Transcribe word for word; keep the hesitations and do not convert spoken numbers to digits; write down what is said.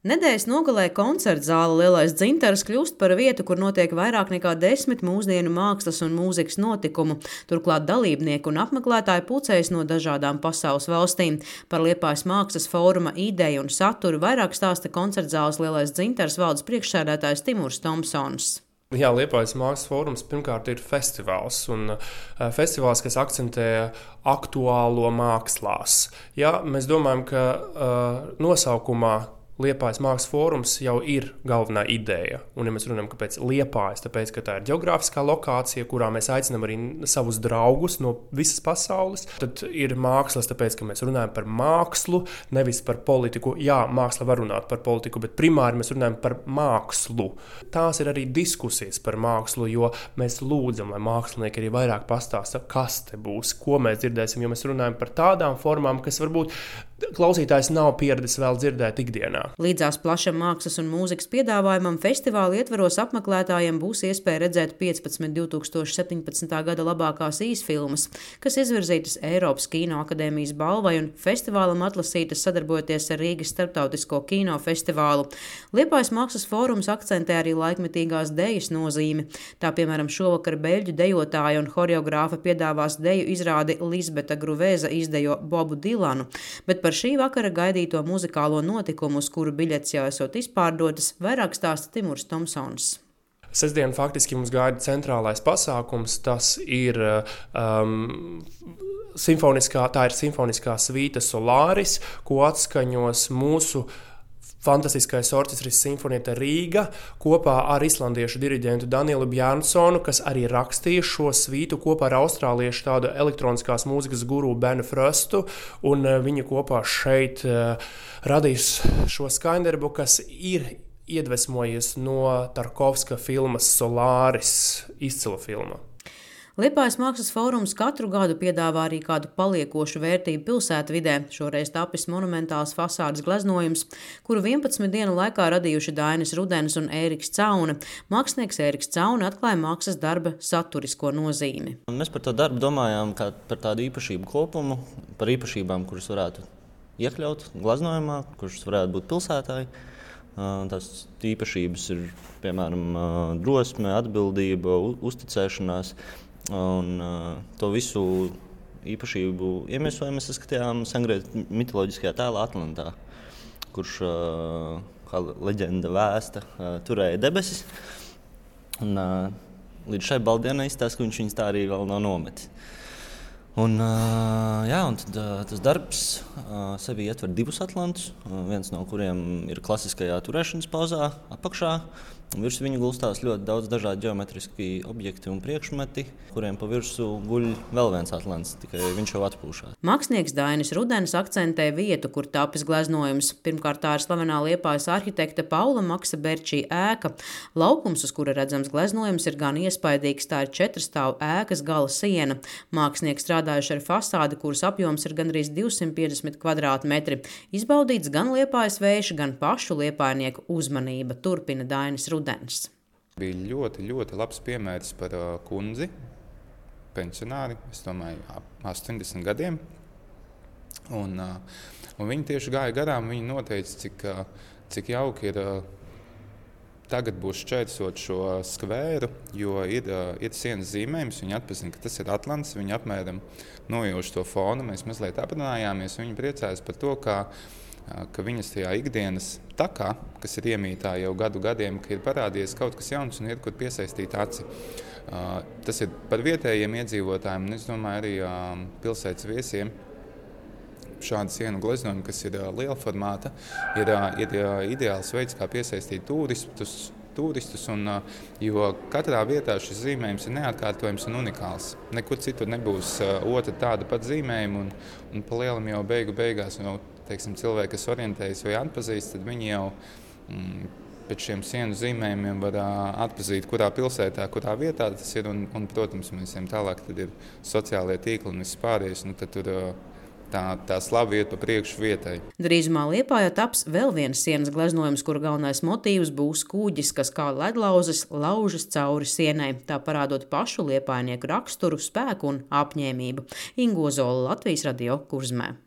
Nedēļas nogalē koncerta zāle Lielais dzintars kļūst par vietu, kur notiek vairāk nekā desmit mūsdienu mākslas un mūzikas notikumu. Turklāt dalībnieki un apmeklētāji pulcējas no dažādām pasaules valstīm. Par Liepājas mākslas fóruma ideju un saturu vairāk stāsta koncerta zāles Lielais dzintars valdes priekšsēdētājs Timurs Tomsons. Jā, Liepājas mākslas fórums pirmkārt ir festivāls, un uh, festivāls, kas akcentē aktuālo mākslās. Jā, mēs domājam, ka uh, nosaukumā Liepājas mākslas fórums jau ir galvenā ideja. Un, ja mēs runājam, kāpēc Liepājas, tāpēc, ka tā ir ģeogrāfiskā lokācija, kurā mēs aicinām arī savus draugus no visas pasaules, tad ir mākslas, tāpēc, ka mēs runājam par mākslu, nevis par politiku. Jā, māksla var runāt par politiku, bet primāri mēs runājam par mākslu. Tās ir arī diskusijas par mākslu, jo mēs lūdzam, lai mākslinieki arī vairāk pastāsta, kas te būs, ko mēs dzirdēsim, jo mēs runājam par tādām formām, kas varbūt klausītājs nav pieradis vēl dzirdēt ikdienā. Līdzās plašam mākslas un mūzikas piedāvājumam festivāla ietvaros apmeklētājiem būs iespēja redzēt piecpadsmit divas tūkstoši septiņpadsmitā gada labākās īsfilmas, kas izvirzītas Eiropas Kino akadēmijas balvai un festivālam atlasītas sadarbojoties ar Rīgas starptautisko kino festivālu. Liepājas mākslas fórums akcentē arī laikmetīgās dejas nozīmi. Tā, piemēram, šovakar beļģu dejotāja un horeogrāfa piedāvās deju izrādi Lisbeta Gruvēza izdejo Bobu Dilanu, bet par šī vakara gaidīto muzikālo notikumu, uz kuru biļetes jau esot izpārdotas, vairāk stāsta Timurs Tomsons. Sestdien faktiski mums gaida centrālais pasākums, tas ir um, simfoniskā, tā ir simfoniskā svīta Solaris, ko atskaņos mūsu fantastiskais orķestris Sinfonieta Rīga kopā ar islandiešu diriģentu Danielu Bjarnsonu, kas arī rakstīja šo svītu kopā ar austrāliešu tādu elektroniskās mūzikas guru Benu Frostu, un viņi kopā šeit uh, radīs šo skaņdarbu, kas ir iedvesmojies no Tarkovska filmas Solaris, izcila filma. Liepājas mākslas fórums katru gadu piedāvā arī kādu paliekošu vērtību pilsētvidē. Šoreiz tapis monumentāls fasādes gleznojums, kuru vienpadsmit dienu laikā radījuši Dainis Rudenis un Ēriks Cauna. Mākslinieks Ēriks Cauna atklāja mākslas darba saturisko nozīmi. Mēs par to darbu domājām kā par tādu īpašību kopumu, par īpašībām, kuras varētu iekļaut gleznojumā, kuras varētu būt pilsētāji. Tās īpašības ir, piemēram, drosme, atbildība, uzticēšanās. Un uh, to visu īpašību iemiesojumu mēs saskatījām sengrieķu mitoloģiskajā tēlā Atlantā, kurš, uh, kā leģenda vēsta, uh, turēja debesis. Un, uh, līdz šai baldienai izstāsta, ka viņš viņus tā arī vēl nav nometis. Un, uh, jā, un tad, uh, tas darbs uh, sevi ietver divus atlantus, uh, viens no kuriem ir klasiskajā turēšanas pozā apakšā. Virs viņa gulstās ļoti daudz dažādi ģeometriski objekti un priekšmeti, kuriem pa virsu guļ vēl viens atlants, tikai viņš jau atpūšās. Mākslinieks Dainis Rudenis akcentē vietu, kur tapis gleznojums. Pirmkārt, tā ir slavenā Liepājas arhitekta Paula Maksa Berčī ēka. Laukums, uz kura redzams gleznojums, ir gan iespaidīgs, tā ir četrstāvu ēkas gala siena. Mākslinieks strādājuši ar fasādi, kuras apjoms ir gandrīz divsimt piecdesmit kvadrātmetri. Izbaudīts gan Liepājas vējš, gan pašu liepājnieku uzmanība, turpina Dainis Rudenis. Bija ļoti, ļoti labs piemērs par uh, kundzi, pensionāri, es domāju, ap astoņdesmit gadiem. Un, uh, un viņi tieši gāja garām, viņi noteica, cik, uh, cik jauki ir uh, tagad būs šķērsot šo skvēru, jo ir, uh, ir sienas zīmējums, viņi atpazina, ka tas ir Atlants, viņi apmēram nojauš to fonu, mēs mazliet aprunājāmies, viņi priecājas par to, kā ka viņas tajā ikdienas takā, kas ir iemītā jau gadu gadiem, ka ir parādījies kaut kas jauns un ir, kur piesaistīt aci. Uh, tas ir par vietējiem iedzīvotājiem, un es domāju arī uh, pilsētas viesiem. Šāda sienu gleznojuma, kas ir uh, liela formāta, ir, uh, ir uh, ideāls veids, kā piesaistīt turistus, turistus un, uh, jo katrā vietā šis zīmējums ir neatkārtojams un unikāls. Nekur citur nebūs uh, otra tāda pat zīmējuma, un, un pa lielam jau beigu beigās, jau, teiksim, cilvēki, kas orientējas vai atpazīst, tad viņi jau mm, pēc šiem sienu zīmējumiem var uh, atpazīt, kurā pilsētā, kurā vietā tas ir, un, un protams, mēs ejam tālāk, tad ir sociālie tīkli un viss pārējais, nu tad tur uh, tā, tā slava iet pa priekšu vietai. Drīzumā Liepājā taps vēl viens sienas gleznojums, kura galvenais motīvs būs kuģis, kas kā ledlauzes laužas cauri sienai, tā parādot pašu liepājnieku raksturu, spēku un apņēmību. Ingo Zola, Latvijas radio Kurzmē.